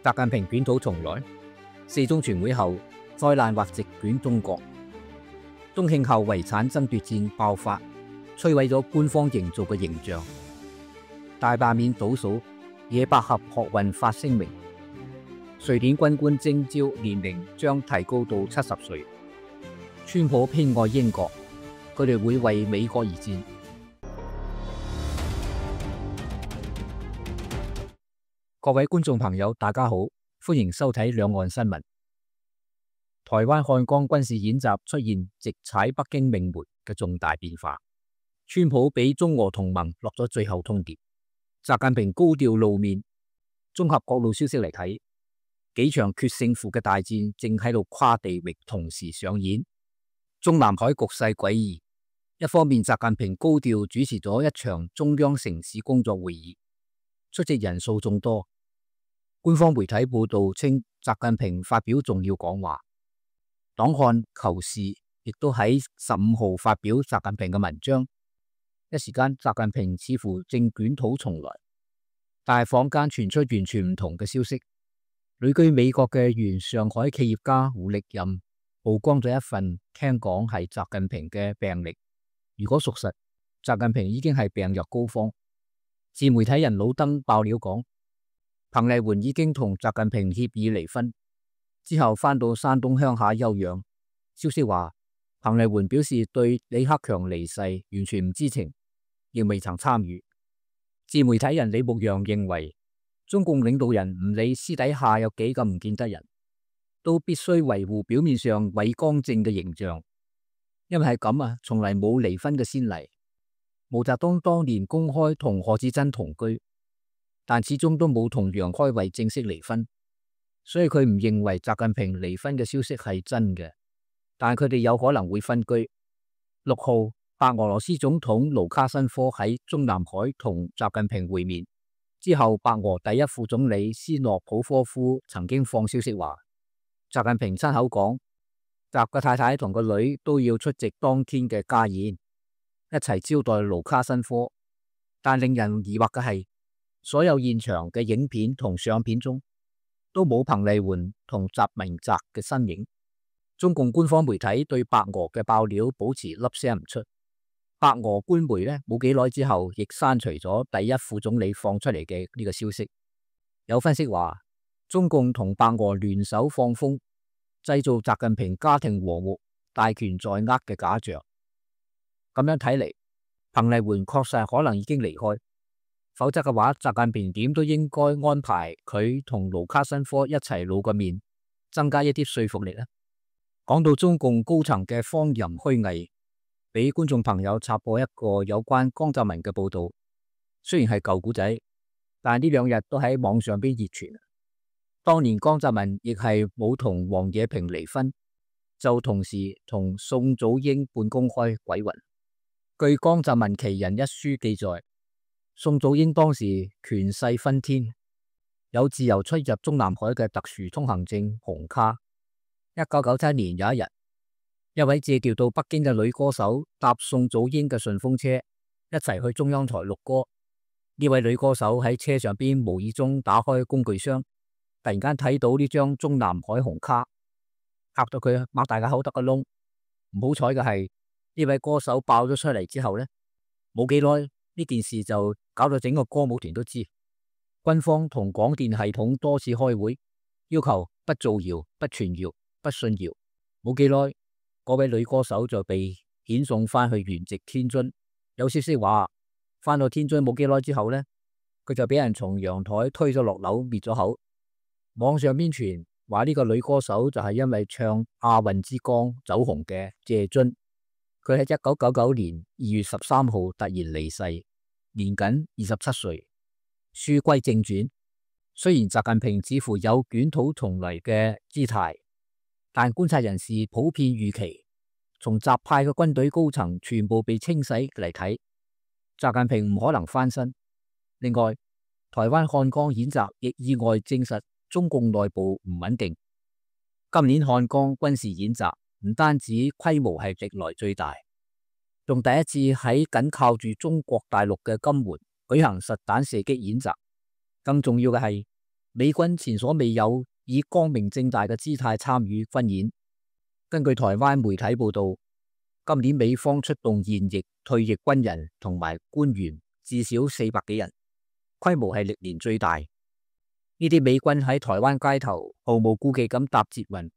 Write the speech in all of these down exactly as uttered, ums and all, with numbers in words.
習近平捲土重來，四中全會後災難或席捲中國，中慶後遺產爭奪戰爆發，摧毀咗官方營造嘅形象。大罷免倒數，野百合學運發聲明，瑞典軍官徵召年齡將提高到七十歲。川普偏愛英國，佢哋會為美國而戰。各位觀眾朋友，大家好，歡迎收睇兩岸新聞。台灣漢江軍事演習出現直踩北京命門嘅重大變化，川普俾中俄同盟落咗最後通牒，習近平高調露面。綜合各路消息嚟睇，幾場決勝負嘅大戰正喺度跨地域同時上演。中南海局勢詭異，一方面習近平高調主持咗一場中央城市工作會議，出席人數眾多。官方媒體報道稱，習近平發表重要講話。檔案求是亦都喺十五號發表習近平嘅文章。一時間，習近平似乎正捲土重來，但係坊間傳出完全唔同嘅消息。旅居美國嘅原上海企業家胡力任曝光咗一份聽講係習近平嘅病歷。如果屬實，習近平已經係病入膏肓。自媒體人老登爆料講，彭麗媛已經同習近平協議離婚，之後返到山東鄉下休養。消息話，彭麗媛表示對李克強離世完全唔知情，亦未曾參與。自媒體人李牧陽認為，中共領導人唔理私底下有幾咁唔見得人，都必須維護表面上偉光正嘅形象，因為係咁啊，從嚟冇離婚嘅先例。毛澤東當年公開同賀知珍同居，但始終都冇同楊開慧正式離婚，所以佢唔認為習近平離婚嘅消息係真嘅，但佢哋有可能會分居。六號，白俄羅斯總統盧卡申科喺中南海同習近平會面之後，白俄第一副總理斯諾普科夫曾經放消息話，習近平親口講，習嘅太太同個女都要出席當天嘅家宴，一齊招待盧卡申科。但令人疑惑嘅係，所有現場嘅影片同相片中都冇彭麗媛同習明澤嘅身影。中共官方媒體對白俄嘅爆料保持粒聲唔出。白俄官媒呢冇幾耐之後亦刪除咗第一副總理放出嚟嘅呢個消息。有分析話，中共同白俄聯手放風，製造習近平家庭和睦、大權在握嘅假象。咁樣睇嚟，彭麗媛確實可能已經離開，否則嘅話，習近平點都應該安排佢同盧卡申科一齊露個面，增加一啲說服力啦。講到中共高層嘅荒淫虛偽，俾觀眾朋友插播一個有關江澤民嘅報道。雖然係舊古仔，但呢兩日都喺網上邊熱傳。當年江澤民亦係冇同王冶平離婚，就同時同宋祖英半公開鬼混。據江澤民其人一書記載，宋祖英當時權勢熏天，有自由出入中南海嘅特殊通行證紅卡。一九九七年有一日，一位借調到北京嘅女歌手搭宋祖英嘅順風車，一齊去中央台錄歌。呢位女歌手喺車上邊無意中打開工具箱，突然間睇到呢張中南海紅卡，嚇到佢擘大個口得個窿。唔好彩嘅係，呢位歌手爆咗出嚟之後呢，冇幾耐呢件事就搞到整個歌舞團都知。軍方同廣電系統多次開會，要求不造謠、不傳謠、不信謠。冇幾耐，嗰位女歌手就被遣送翻去原籍天津。有消息話，翻到天津冇幾耐之後呢，佢就俾人從陽台推咗落樓滅咗口。網上邊傳話呢個女歌手就係因為唱《亞運之光》走紅嘅謝津。佢喺一九九九年二月十三號突然離世，年僅二十七歲。書歸正傳，雖然習近平似乎有捲土重來嘅姿態，但觀察人士普遍預期，從習派嘅軍隊高層全部被清洗嚟睇，習近平唔可能翻身。另外，台灣漢江演習亦意外證實中共內部唔穩定。今年漢江軍事演習唔單止規模係歷來最大，仲第一次喺緊靠住中國大陸嘅金門舉行實彈射擊演習。更重要嘅係，美軍前所未有以光明正大嘅姿態參與軍演。根據台灣媒體報道，今年美方出動現役、退役軍人同埋官員至少四百幾人，規模係歷年最大。呢啲美軍喺台灣街頭毫無顧忌咁搭捷運，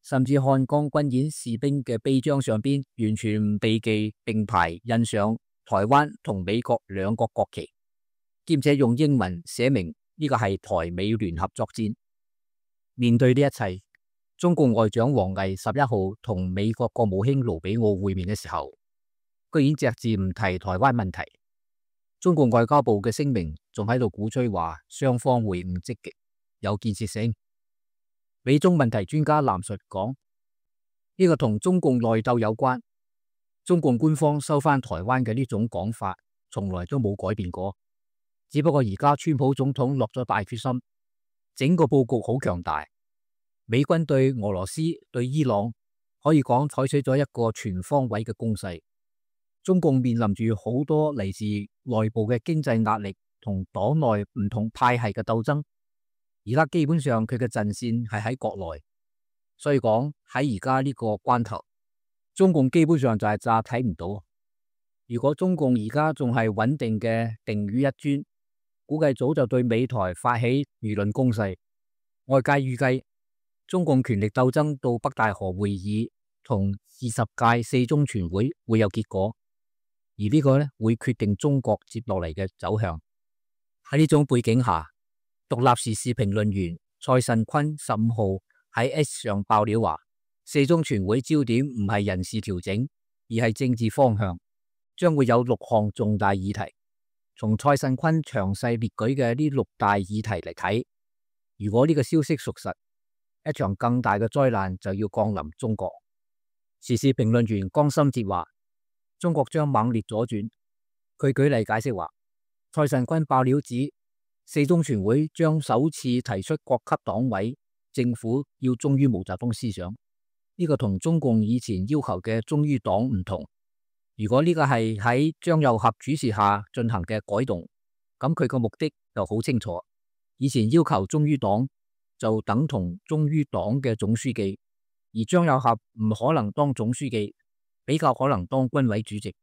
甚至漢江軍演士兵嘅臂章上邊完全唔避忌並排印上台灣同美國兩國國旗，兼且用英文寫明呢個係台美聯合作戰。面對呢一切，中共外長王毅十一號同美國國務卿盧比奧會面嘅時候，居然隻字唔提台灣問題。中共外交部嘅聲明仲喺度鼓吹話雙方會晤積極有建設性。美中問題專家藍述講，呢個同中共內鬥有關。中共官方收翻台灣嘅呢種講法從來都冇改變過，只不過而家川普總統落咗大決心，整個佈局好強大。美軍對俄羅斯、對伊朗可以講採取咗一個全方位嘅攻勢。中共面臨住好多嚟自內部嘅經濟壓力同黨內唔同派系嘅鬥爭，而家基本上佢嘅陣線係喺國內，所以講喺而家呢個關頭，中共基本上就係詐睇唔到。如果中共而家仲係穩定嘅定於一尊，估計早就對美台發起輿論攻勢。外界預計中共權力鬥爭到北戴河會議同二十屆四中全會會有結果。而呢個咧會決定中國接落嚟嘅走向。喺呢種背景下，獨立時事評論員蔡慎坤十五號喺 X 上爆料話，四中全會焦點唔係人事調整，而係政治方向，將會有六項重大議題。從蔡慎坤詳細列舉嘅呢六大議題嚟睇，如果呢個消息屬實，一場更大嘅災難就要降臨中國。時事評論員江心哲話，中國將猛烈左轉。佢舉例解釋話，蔡慎坤爆料指四中全會將首次提出各級黨委政府要忠於毛澤東思想，呢個同中共以前要求嘅忠於黨唔同。如果呢個係喺張又俠主持下進行嘅改動，咁佢個目的就好清楚。以前要求忠於黨就等同忠於黨嘅總書記，而張又俠唔可能當總書記，比較可能當軍委主席。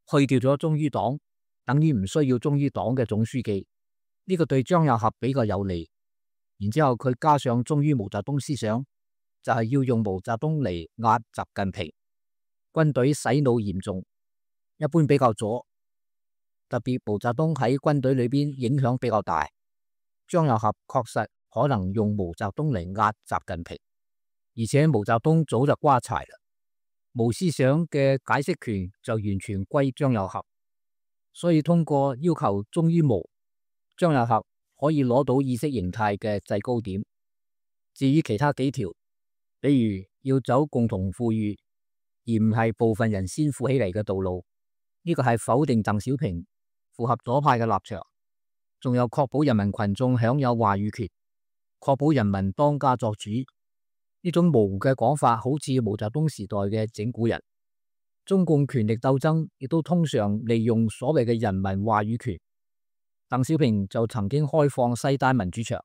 去掉咗忠於黨，等於唔需要忠於黨嘅總書記，呢、這個對張又俠比較有利。然之後佢加上忠於毛澤東思想，就係、是、要用毛澤東嚟壓習近平。軍隊洗腦嚴重，一般比較左，特別毛澤東喺軍隊裏邊影響比較大。張又俠確實可能用毛澤東嚟壓習近平，而且毛澤東早就瓜柴啦，毛思想嘅解釋權就完全歸張又俠，所以通過要求忠於毛，張又俠可以攞到意識形態嘅制高點。至於其他幾條，比如要走共同富裕，而唔係部分人先富起嚟嘅道路，呢、這個係否定鄧小平，符合左派嘅立場。仲有確保人民群眾享有話語權，確保人民當家作主。呢種模糊嘅講法好似毛澤東時代嘅整蠱人。中共權力鬥爭亦都通常利用所謂嘅人民話語權。鄧小平就曾經開放西單民主牆，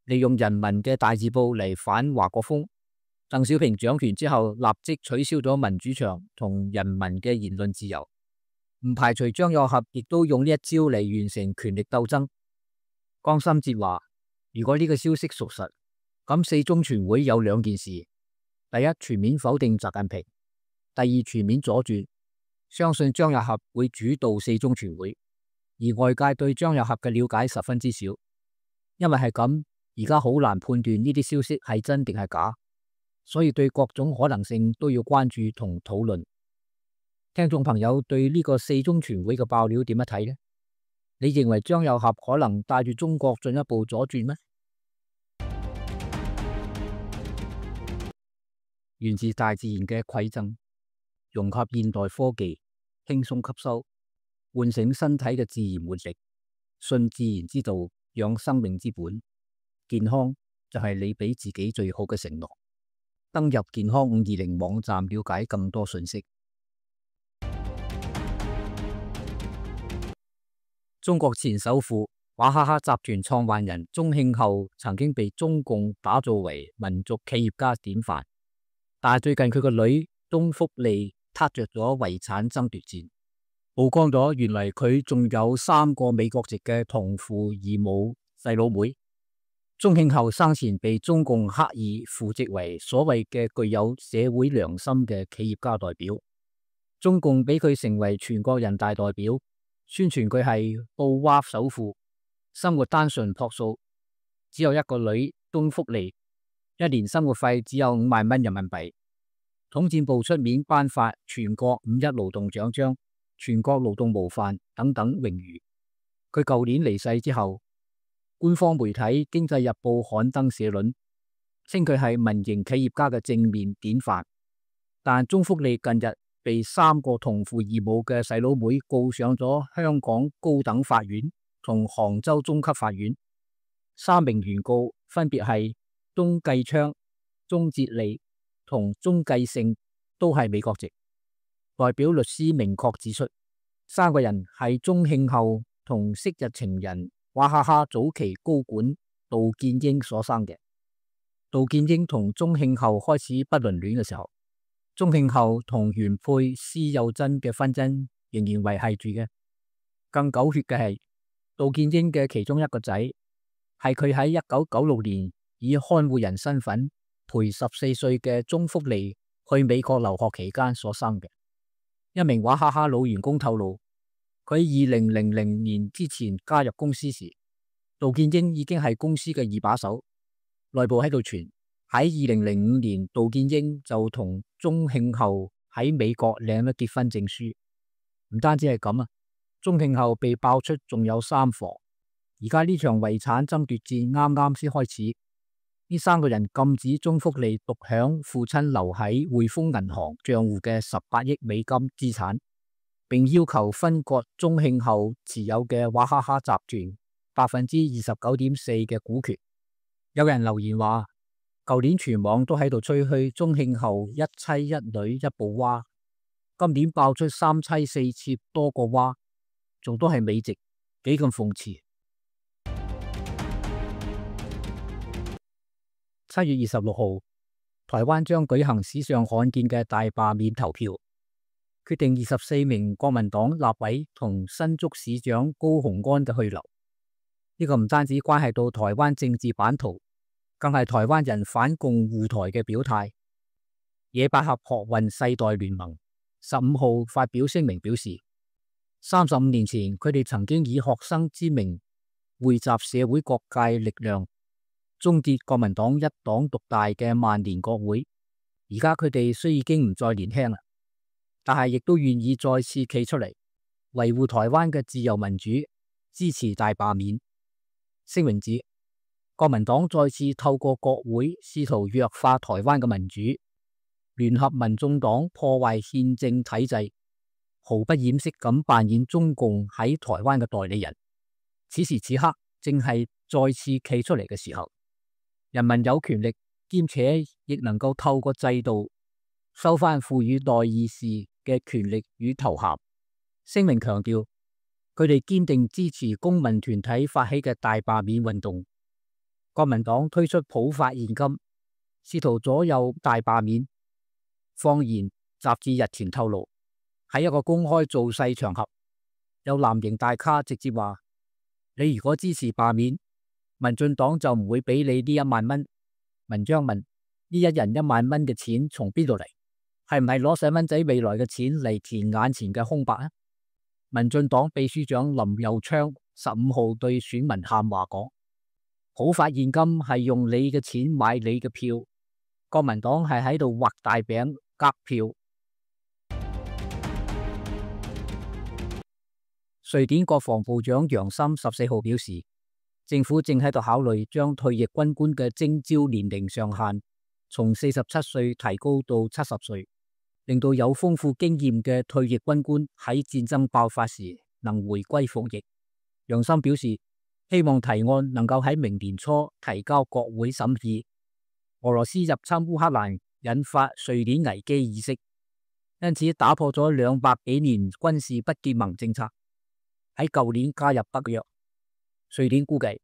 利用人民嘅大字報嚟反華國鋒。鄧小平掌權之後，立即取消咗民主牆同人民嘅言論自由。唔排除張又俠亦都用呢一招嚟完成權力鬥爭。江心哲話，如果呢個消息屬實，咁四中全會有兩件事：第一，全面否定習近平；第二，全面左轉。相信張又俠會主導四中全會，而外界對張又俠嘅了解十分之少，因為係咁，而家好難判斷呢啲消息係真定係假。所以對各種可能性都要關注同討論。聽眾朋友對呢個四中全會嘅爆料點樣睇呢？你認為張又俠可能帶住中國進一步左轉咩？源自大自然嘅饋贈，融合現代科技，輕鬆吸收，喚醒身體嘅自然活力，信自然之道，養生命之本。健康就係你俾自己最好嘅承諾。登入健康五二零網站了解更多信息。中國前首富娃哈哈集團創辦人鍾慶後曾經被中共打造為民族企業家典範，但係最近佢個女鍾福利撻着咗遺產爭奪戰，曝光咗原來佢仲有三個美國籍嘅同父異母細佬妹。鍾慶後生前被中共刻意扶植為所謂嘅具有社會良心嘅企業家代表，中共俾佢成為全國人大代表，宣傳佢係布娃首富，生活單純樸素，只有一個女鍾福利，一年生活費只有五萬蚊人民幣。統戰部出面頒發全國五一勞動獎章、全國勞動模範等等榮譽。佢舊年離世之後，官方媒體《經濟日報》刊登社論，稱佢係民營企業家嘅正面典範。但鍾福利近日被三個同父異母嘅細佬妹告上咗香港高等法院同杭州中級法院，三名原告分別係鍾繼昌、鍾哲利同鍾繼勝，都係美國籍。代表律師明確指出，三個人係鍾慶後同昔日情人娃哈哈早期高管杜建英所生嘅。杜建英同鍾慶後開始不倫戀嘅時候，鍾慶後同原配施幼珍嘅婚姻仍然維繫住嘅。更狗血嘅係，杜建英嘅其中一個仔係佢喺一九九六年以看護人身份陪十四歲嘅鍾福利去美國留學期間所生嘅。一名娃哈哈老員工透露，佢二零零零年之前加入公司時，杜建英已經係公司嘅二把手。內部喺度傳，喺二零零五年，杜建英就同鍾慶後喺美國領咗結婚證書。唔單止係咁啊，鍾慶後被爆出仲有三房。而家呢場遺產爭奪戰啱啱先開始，呢三個人禁止鍾福利獨享父親留喺匯豐銀行賬戶嘅十八億美金資產，並要求分割鍾慶後持有嘅娃哈哈集團百分之二十九點四嘅股權。有人留言話，舊年全網都喺度吹噓鍾慶後一妻一女一部娃，今年爆出三妻四妾多個娃，仲都係美籍，幾咁諷刺。七月二十六號，台灣將舉行史上罕見嘅大罷免投票，決定二十四名國民黨立委同新竹市長高虹安嘅去留。呢、這個唔單止關係到台灣政治版圖，更係台灣人反共護台嘅表態。野百合學運世代聯盟十五號發表聲明表示，三十五年前佢哋曾經以學生之名匯集社會各界力量，終結國民黨一黨獨大嘅萬年國會。而家佢哋雖已經唔再年輕啦，但係亦都願意再次企出嚟維護台灣嘅自由民主，支持大罷免。聲明指，國民黨再次透過國會試圖弱化台灣嘅民主，聯合民眾黨破壞憲政體制，毫不掩飾咁扮演中共喺台灣嘅代理人。此時此刻正係再次企出嚟嘅時候。人民有權力，兼且亦能夠透過制度收返賦予代議士嘅權力與頭銜。聲明強調，佢哋堅定支持公民團體發起嘅大罷免運動。國民黨推出普發現金，試圖左右大罷免。放言雜誌日前透露，喺一個公開造勢場合，有藍營大咖直接話：你如果支持罷免，民進黨就唔會俾你呢一萬蚊。文章問：呢一人一萬蚊嘅錢從邊度嚟？係唔係攞細蚊仔未來嘅錢嚟填眼前嘅空白啊？民進黨秘書長林右昌十五號對選民喊話講：普發現金係用你嘅錢買你嘅票，國民黨係喺度畫大餅夾票。瑞典國防部長楊森十四號表示，政府正喺度考慮將退役軍官嘅徵召年齡上限從四十七歲提高到七十歲，令到有豐富經驗嘅退役軍官喺戰爭爆發時能回歸服役。楊森表示，希望提案能夠喺明年初提交國會審議。俄羅斯入侵烏克蘭引發瑞典危機意識，因此打破咗兩百幾年軍事不結盟政策，喺舊年加入北約。瑞典估計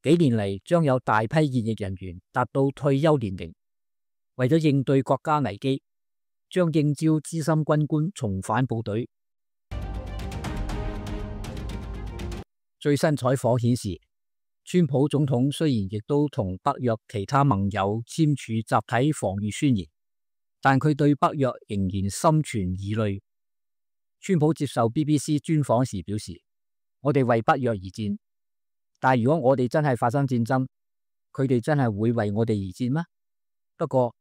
幾年嚟將有大批現役人員達到退休年齡，為咗應對國家危機，將應召資深軍官重返部隊。最新採訪顯示，川普總統雖然亦都同北約其他盟友簽署集體防禦宣言，但佢對北約仍然心存疑慮。川普接受 B B C 專訪時表示：我哋為北約而戰，但如果我哋真係發生戰爭，佢哋真係會為我哋而戰嗎？不過，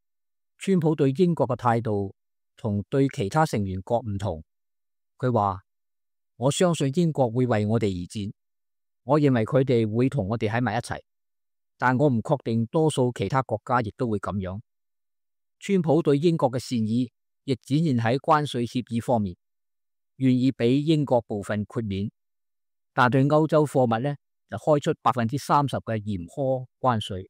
川普對英國嘅態度同對其他成員國唔同。佢話：我相信英國會為我哋而戰，我認為佢哋會同我哋喺埋一齊，但我唔確定多數其他國家亦都會咁樣。川普對英國嘅善意亦展現喺關稅協議方面，願意俾英國部分豁免，但對歐洲貨物呢就開出百分之三十嘅嚴苛關稅。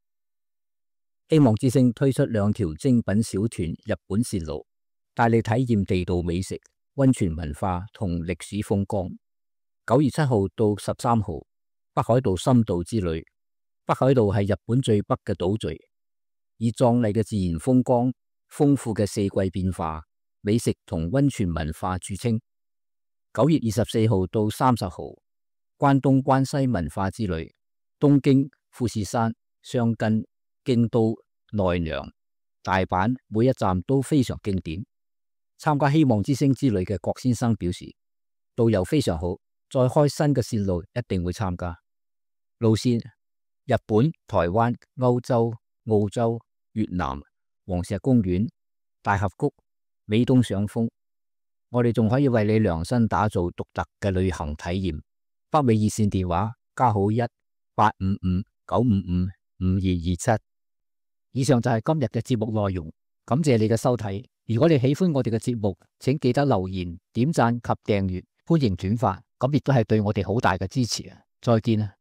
希望之星推出兩條精品小團日本線路，帶你體驗地道美食、溫泉文化同歷史風光。九月七號到十三號，北海道深度之旅。北海道係日本最北嘅島嶼，以壯麗嘅自然風光、豐富嘅四季變化、美食同溫泉文化著稱。九月二十四號到三十號，關東關西文化之旅。東京、富士山、箱根、京都、奈良、大阪每一站都非常經典。參加希望之星之旅嘅郭先生表示，導遊非常好，再開新嘅線路一定會參加。路線：日本、台灣、歐洲、澳洲、越南、黃石公園、大峽谷、美東賞楓。我哋仲可以為你量身打造獨特嘅旅行體驗。北美熱線電話加號一八五五九五五五二二七。以上就係今日嘅節目內容，感謝你嘅收睇。如果你喜歡我哋嘅節目，請記得留言、點讚及訂閱，歡迎轉發，咁亦都係對我哋好大嘅支持啊！再見啊！